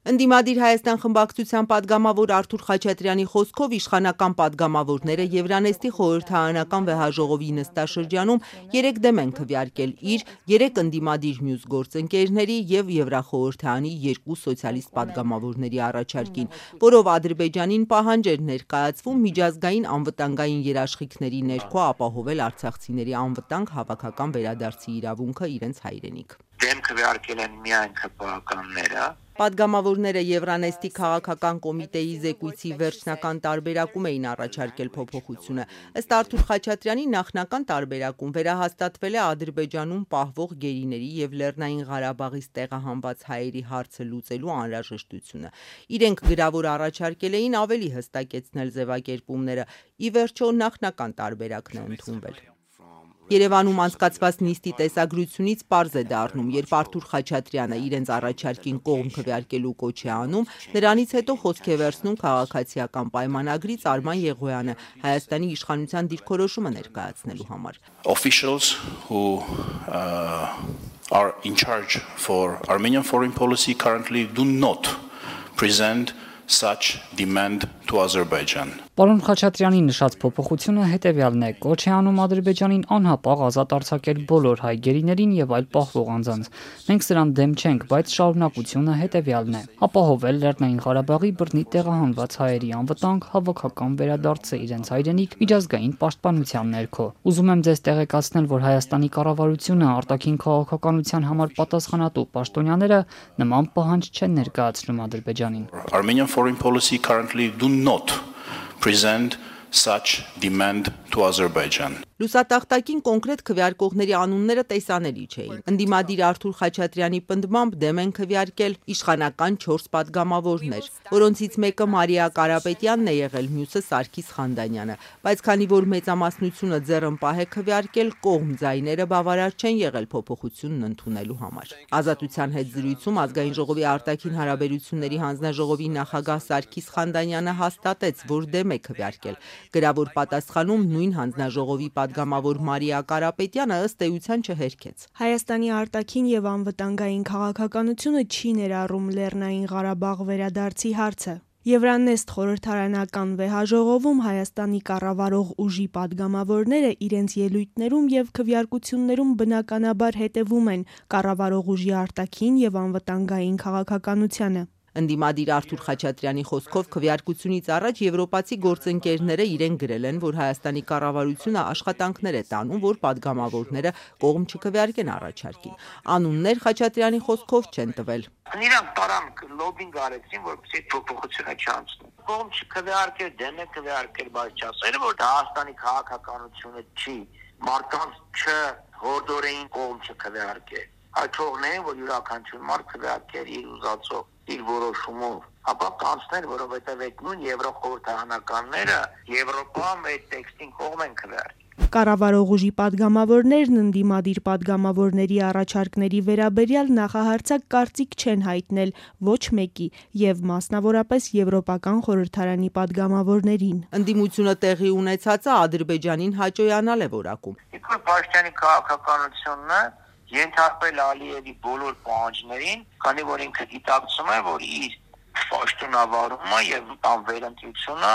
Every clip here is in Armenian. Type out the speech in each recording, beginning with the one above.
Ընդդիմադիր Հայաստան խմբակցության պատգամավոր Արթուր Խաչատրյանի խոսքով իշխանական պատգամավորները Եվրանեստի խորհրդարանական վեհաժողովի նստաշրջանում 3 դեմ են քվեարկել իր 3 ընդդիմադիր մյուս գործընկերների և Եվրախորհրդարանի 2 սոցիալիստ պատգամավորների առաջարկին, որով Ադրբեջանին պահանջ էր ներկայացվում միջազգային անվտանգային երաշխիքների ներքո ապահովել արցախցիների անվտանգ հավաքական վերադարձի իրավունքը իրենց հայրենիք։ Դեմ քվեարկել են միայն ՔՊԱ-ականները։ Պատգամավորները Եվրանեստի քաղաքական կոմիտեի զեկույցի վերջնական տարբերակում էին առաջարկել փոփոխությունը։ Ըստ Արթուր Խաչատրյանի նախնական տարբերակում վերահաստատվել է Ադրբեջանում պահվող գերիների և Լեռնային Ղարաբաղից տեղահանված հայերի հարցը լուծելու անհրաժեշտությունը։ Իրենք գրավոր առաջարկել էին ավելի հստակեցնել ձևակերպումները, ի վերջո նախնական տարբերակն է ընդունվել։ Երևանում անցկացված նիստի տեսագրությունից պարզ է դառնում, երբ Արթուր Խաչատրյանը իրենց առաջարկին կողմ քվեարկելու կոչ է անում, նրանից հետո խոսք է վերցնում քաղաքացիական պայմանագրից Արման Եղոյանը Հայաստանի իշխանության դիրքորոշումը ներկայացնելու համար։ Officials who are in charge for Armenian foreign policy currently do not present such demand to Azerbaijan. Պարոն Խաչատրյանի նշած փոփոխությունը հետևյալն է. կոչ է անում Ադրբեջանին անհապաղ ազատ արձակել բոլոր հայ գերիներին եւ այլ պահվող անձանց։ Մենք սրան դեմ չենք, բայց շարունակությունը հետևյալն է. ապահովել Լեռնային Ղարաբաղի բռնի տեղահանված հայերի անվտանգ հավաքական վերադարձը իրենց հայրենիք միջազգային պաշտպանության ներքո։ Ուզում եմ ձեզ տեղեկացնել, որ Հայաստանի կառավարությունը արտաքին քաղաքականության համար պատասխանատու պաշտոնյաները նման պահանջ չեն ներկայացնում Ադրբեջանին։ Armenian foreign policy currently do not present such demand to Azerbaijan. Լուսատախտակին կոնկրետ քվեարկողների անունները տեսանելի չէին։ Ընդդիմադիր Արթուր Խաչատրյանի պնդմամբ դեմ են քվեարկել իշխանական 4 պատգամավորներ, որոնցից մեկը Մարիա Կարապետյանն է եղել, մյուսը Սարգիս Խանդանյանը, բայց քանի որ մեծամասնությունը ձեռնպահ է քվեարկել, կողմ ձայները բավարար չեն եղել փոփոխությունն ընդունելու համար։ Ազատության հետ զրույցում Ազգային ժողովի արտաքին հարաբերությունների հանձնաժողովի նախագահ Սարգիս Խանդանյանը հաստատեց, որ դեմ է քվեարկել։ Գրավոր պատասխանում նույն հանձնաժողովի պատգամավոր Մարիա Կարապետյանը ըստ էության չհերքեց։ Հայաստանի արտաքին եւ անվտանգային քաղաքականությունը չի ներառում Լեռնային Ղարաբաղ վերադարձի հարցը։ Եվրանեստ խորհրդարանական վեհաժողովում Հայաստանի կառավարող ուժի պատգամավորները իրենց ելույթներում եւ քվեարկություններում բնականաբար հետևում են կառավարող ուժի արտաքին եւ անվտանգային քաղաքականությանը։ Ընդդիմադիր Արթուր Խաչատրյանի խոսքով քվեարկությունից առաջ եվրոպացի գործընկերները իրեն գրել են, որ Հայաստանի կառավարությունը աշխատանքներ է տանում, որ պատգամավորները կողմ չքվեարկեն առաջարկին։ Անուններ Խաչատրյանի խոսքով չեն տվել։ Նրանք տարան լոբինգ արեցին, որպեսզի փոփոխությունը չանցնի։ Կողմ չքվեարկել, դեմ է քվեարկել, բայց չասել, որ դա Հայաստանի քաղաքականությունը չի, մարդկանց չհորդորեին կողմ չքվեարկել։ Հաջողներին, որ յուրաքանչյուր մարդ քվեարկեր իր ուզածով, իր որոշումով, ապա կանցներ, որովհետև այդ նույն եվրոխորհրդարանականները Եվրոպայում այդ տեքստին կողմ են քվեարկել։ Կառավարող ուժի պատգամավորներն ընդդիմադիր պատգամավորների առաջարկների վերաբերյալ նախահարցակ կարծիք չեն հայտնել ոչ մեկի եւ մասնավորապես Եվրոպական խորհրդարանի պատգամավորներին։ Ընդդիմությունը տեղի ունեցածը Ադրբեջանին հաճոյանալ է որակում։ Նիկոլ Փաշինյանի քաղաքականությունն է ենթարկվել Ալիևի բոլոր պահանջներին, քանի որ ինքը գիտակցում է, որ իր պաշտոնավարումը եւ անվերընտրությունը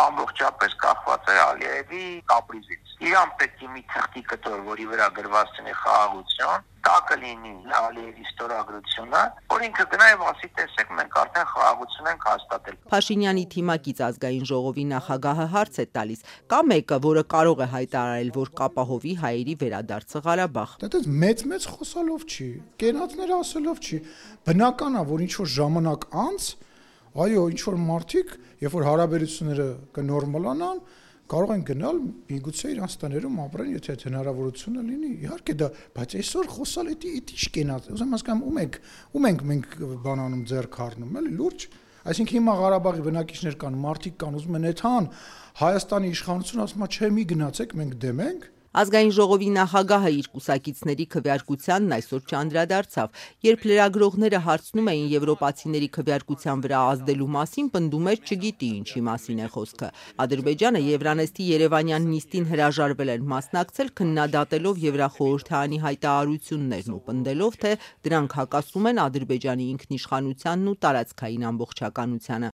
ամբողջապես կախված է Ալիևի կապրիզից։ Իրան պետք է մի թղթի կտոր, որի վրա գրված լինի խաղաղություն, տակը լինի Ալիևի ստորագրությունը, որ ինքը գնա եւ ասի, տեսեք, մենք արդեն խաղաղություն ենք հաստատել։ Փաշինյանի թիմակից Ազգային ժողովի նախագահը հարց է տալիս. կա մեկը, որը կարող է հայտարարել, որ կապահովի հայերի վերադարձը Ղարաբաղ։ Դա մեծ խոսալով չի, կենացներ ասելով չի։ Բնական է, որ ինչ որ ժամանակ անց, այո, ինչ որ մարդիկ, երբ որ հարաբերությունները կնորմալանան, կարող են գնալ միգուցե իրանց տներում ապրեն, եթե այդ հնարավորությունը լինի։ Իհարկե դա, բայց այսօր խոսալ էդի ինչ կենաց։ Ուզում հասկանամ ում ենք մենք բանանում ձեռք առնում, էլի լուրջ։ Այսինքն հիմա Ղարաբաղի բնակիչներ կան, մարդիկ կան, ուզում են այդքան Հայաստանի իշխանությունը ասում է, չէ, մի գնացեք, մենք դեմ ենք։ Ազգային ժողովի նախագահը իր կուսակիցների քվեարկությանն այսօր չանդրադարձավ, երբ լրագրողները հարցնում էին եվրոպացիների քվեարկության վրա ազդելու մասին, պնդում էր չգիտի ինչի մասին է խոսքը։ Ադրբեջանը Եվրանեստի երևանյան նիստին հրաժարվել էր մասնակցել, քննադատելով Եվրախորհրդարանի հայտարարություններն ու պնդելով, թե դրանք հակասում են Ադրբեջանի ինքնիշխանությանն ու տարածքային ամբողջականությանը։